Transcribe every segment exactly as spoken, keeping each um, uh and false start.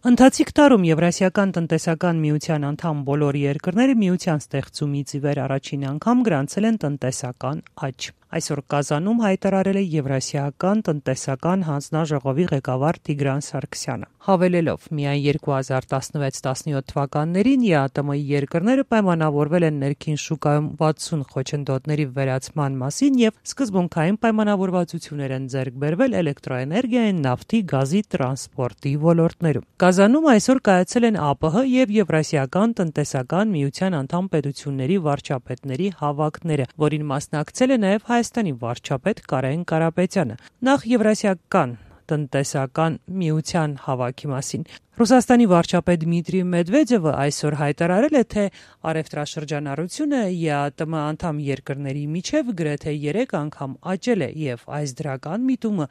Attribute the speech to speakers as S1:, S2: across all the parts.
S1: Ընթացիկ տարում Եվրասիական տնտեսական միության անդամ բոլոր երկրները միության ստեղծումից ի վեր առաջին անգամ գրանցել են տնտեսական աճ։ Այսօր Կազանում հայտարարել է Եվրասիական տնտեսական հանձնաժողովի ղեկավար Տիգրան Սարգսյանը, հավելելով՝ միայն երկու հազար տասնվեց տասնյոթ թվականներին ԵԱՏՄ-ի երկրները պայմանավորվել են ներքին շուկայում վաթսուն խոչընդոտների վերացման մասին եւ սկզբունքային պայմանավորվածություններ են ձեռք բերվել էլեկտրոէներգիայի, նավթի, գազի, տրանսպորտի ոլորտներում։ Կազանում այսօր կայացել են ԱՊՀ եւ Եվրասիական տնտեսական միության անդամ պետությունների վարչապետների հավաքները, որին մասնակցել է նաեւ Հայաստանի վարչապետ Կարեն Կարապետյանը։ Նախ Եվրասիական տնտեսական միության հավաքի մասին Ռուսաստանի վարչապետ Դմիտրի Մեդվեդևը այսօր հայտարարել է, թե առևտրաշրջանառությունը ԵԱՏՄ անդամ երկրների միջև գրեթե երեք անգամ աճել է եւ այս դրական միտումը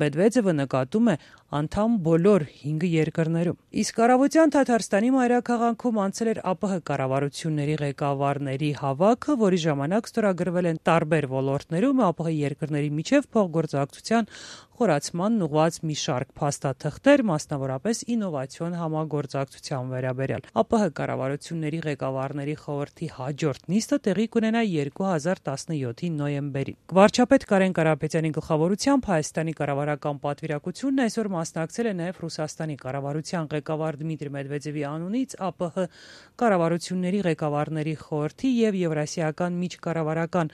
S1: Մեդվեդևը նկատում է անդամ բոլոր հինգ երկրներում։ Իսկ Առավոտյան Թաթարստանի մայրաքաղաքում անցել էր ԱՊՀ կառավարությունների ղեկավարների հավաքը, որի ժամանակ ստորագրվել են տարբեր ոլորտներում ԱՊՀ երկրների միջև փոխգործակցության խորացմանն ուղղված մի շարք փաստաթղթեր, մասնավորապես ինովացիոն համագործակցության վերաբերյալ։ ԱՊՀ կառավարությունների ղեկավարների խորհրդի հաջորդ նիստը տեղի կունենա երկու հազար տասնյոթի նոյեմբերին։ Վարչապետ Կարեն Կարապետյանի գլխավորությամբ Հայաստանի կառավարական պատվիրակությունն այսօր մասնակցել է նաև Ռուսաստանի կառավարության ղեկավար Դմիտրի Մեդվեդևի անունից ԱՊՀ կառավարությունների ղեկավարների խորհրդի եւ Եվրասիական միջկառավարական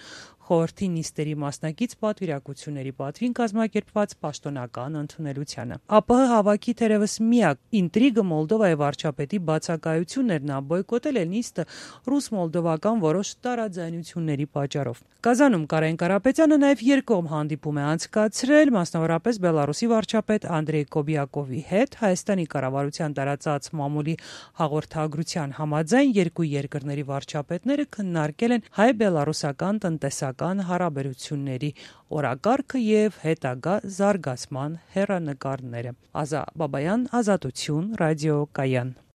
S1: խորհրդի նիստերի մասնակից պատվիրակությունների պատվին կազմակերպված պաշտոնական ընդունելությանը։ ԱՊՀ հավաքի թերևս միակ ինտրիգը Մոլդովայի վարչապետի բացակայությունն էր, նա բոյկոտել է նիստը ռուս-մոլդովական որոշ տարաձայնությունների պատճառով։ Կազանում Կարեն Կարապետյանը նաև երկկողմ հանդիպում է անցկացրել, մասնավորապես Բելարուսի վարչապետ Անդրեյ Կոբիակովի հետ։ Հայաստանի կառավարության տարածած մամուլի հաղորդագրության համաձայն երկու երկրների վարչապետները քննարկել են հայ-բելարուսական տնտեսական հարաբերությունների օրակարգը եւ հետագա զարգացման հեռանկարները։ Ազա Բաբայան, Ազատություն, Ռադիո Կայան։